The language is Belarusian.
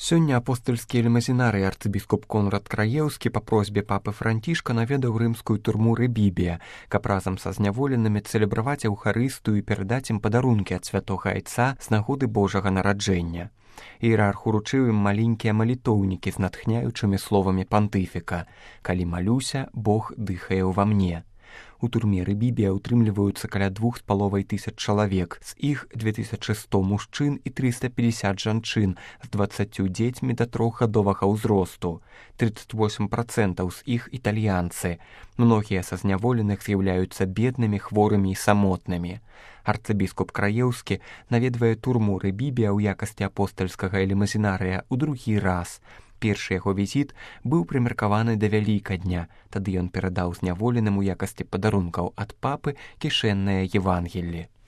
Сёння апостальскі элемазінарый арцыбіскуп Конрад Краеўскі па просьбе папы Францішка наведаў рымскую турму Рэбібія, каб разам са зняволенымі цэлебраваць эўхарыстыю і перадаць ім падарункі ад святога айца з нагоды Божага нараджэння. Іерарх уручыў ім маленькія малітоўнікі з натхняючымі словамі пантыфіка: «Калі малюся, Бог дыхае ўва мне». У турме Рэбібія ўтрымліваюцца каля 2500 чалавек, з іх 2100 мужчын і 350 жанчын з 20 дзецьмі да 3гадовага ўзросту. 38% з іх італьянцы. Многія са зняволеных з'яўляюцца беднымі, хворымі і самотнымі. Арцыбіскуп Краеўскі наведвае турму Рэбібія ў якасці апостальскага элемазінарыя ў другі раз. Першы яго візіт быў прымеркаваны да Вялікадня, тады ён перадаў зняволеным у якасці падарункаў ад папы кішэнныя Евангеллі.